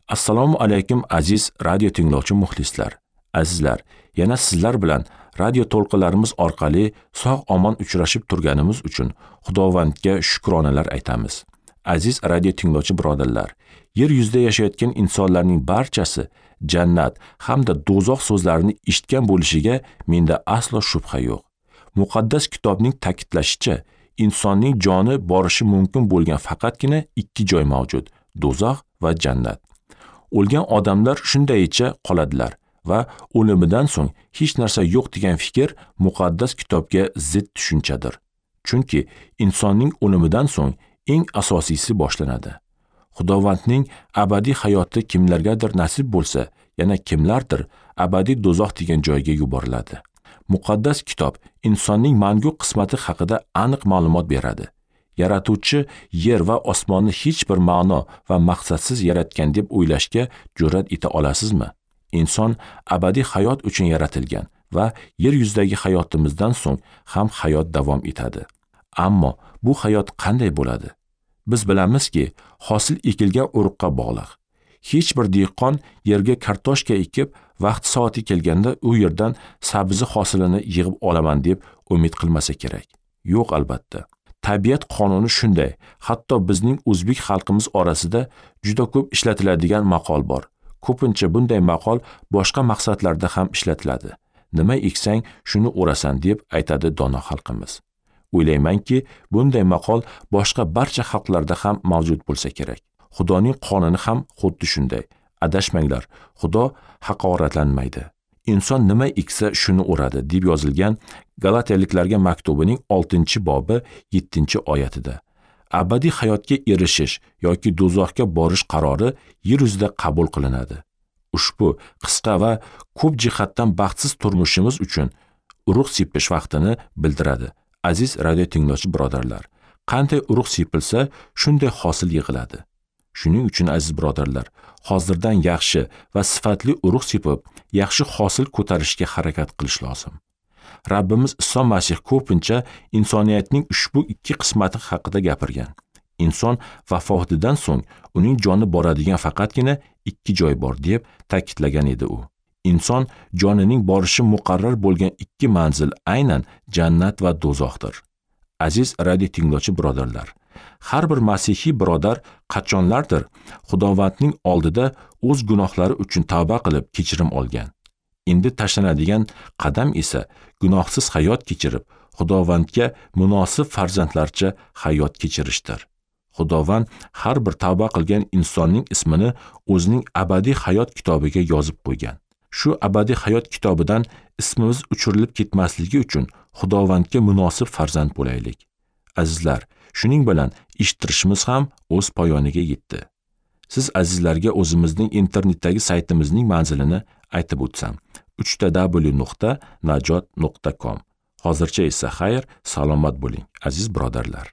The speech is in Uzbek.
Assalomu alaykum aziz radio tinglovchi muxlislar. Azizlar, yana sizlar bilan radio to'lqinlarimiz orqali sog' omon uchrashib turganimiz uchun Xudovandga shukronalar aytamiz. Aziz radio tinglovchi birodarlar, yer yuzida yashayotgan insonlarning barchasi jannat hamda do'zax so'zlarini eshitgan bo'lishiga menda aslo shubha yo'q. Muqaddas kitobning ta'kidlashicha, insonning joni borishi mumkin bo'lgan faqatgina ikki joy mavjud: do'zax va jannat. O'lgan odamlar shundayicha qoladilar va o'limidan so'ng hech narsa yo'q degan fikr muqaddas kitobga zid tushunchadir. Chunki insonning o'limidan so'ng eng asosiysi boshlanadi. Xudovandning abadiy hayoti kimlargadir nasib bo'lsa, yana kimlardir abadiy do'zax degan joyga yuboriladi. Muqaddas kitob insonning mangu qismati haqida aniq ma'lumot beradi. Yaratuvchi yer va osmonni hech bir ma'no va maqsadsiz yaratgan deb o'ylashga jur'at eta olasizmi? Inson abadiy hayot uchun yaratilgan va yer yuzidagi hayotimizdan so'ng ham hayot davom etadi. Ammo bu hayot qanday bo'ladi? Biz bilamizki, hosil ekilgan urug'ga bog'liq. Hech bir dehqon yerga kartoshka ekib, vaqt soati kelganda u yerdan sabzi hosilini yig'ib olaman deb umid qilmasa kerak. Yo'q, albatta. Tabiat qonuni shunday. Hatto bizning o'zbek xalqimiz orasida juda ko'p ishlatiladigan maqol bor. Ko'pincha bunday maqol boshqa maqsadlarda ham ishlatiladi. Nima eksang, shuni o'rasan deb aytadi dono xalqimiz. O'ylaymanki, bunday maqol boshqa barcha xalqlarda ham mavjud bo'lsa kerak. Xudoning qonuni ham xuddi shunday. Adashmanglar, Xudo haqoratlanmaydi. Inson nima eksa shuni o'radi deb yozilgan Galatiyaliklarga maktubining 6-bobi 7-oyatida. Abadiy hayotga erishish yoki do'zaxga borish qarori yer yuzida qabul qilinadi. Ushbu qisqa va ko'p jihatdan baxtsiz turmushimiz uchun urug' sepish vaqtini bildiradi. Aziz radio tinglovchi birodarlar, qanday urug' sepilsa, shunday hosil yig'iladi. Shuning uchun aziz birodarlar, hozirdan yaxshi va sifatli urug' sepib, yaxshi hosil ko'tarishga harakat qilish lozim. Rabbimiz Iso Masih ko'pincha insoniyatning ushbu ikki qismati haqida gapirgan. Inson vafotidan so'ng uning joni boradigan faqatgina ikki joy bor deb ta'kidlagan edi u. Inson jonining borishi muqarrar bo'lgan ikki manzil aynan jannat va do'zaxdir. Aziz radio tinglovchi birodarlar, har bir masihiy birodar qachonlardir Xudovandning oldida o'z gunohlari uchun tavba qilib kechirim olgan. Endi tashlanadigan qadam esa gunohsiz hayot kechirib, Xudovandga munosib farzandlarcha hayot kechirishdir. Xudovand har bir tavba qilgan insonning ismini o'zining abadiy hayot kitobiga yozib qo'ygan. Shu abadiy hayot kitobidan ismimiz o'chirilib ketmasligi uchun Xudovandga munosib farzand bo'laylik. Azizlar, shuning bilan eshittirishimiz ham o'z poyoniga yetdi. Siz azizlarga o'zimizning internetdagi saytimizning manzilini aytib o'tsam: www.najot.com. Hozircha esa xayr, salomat bo'ling, aziz birodarlar.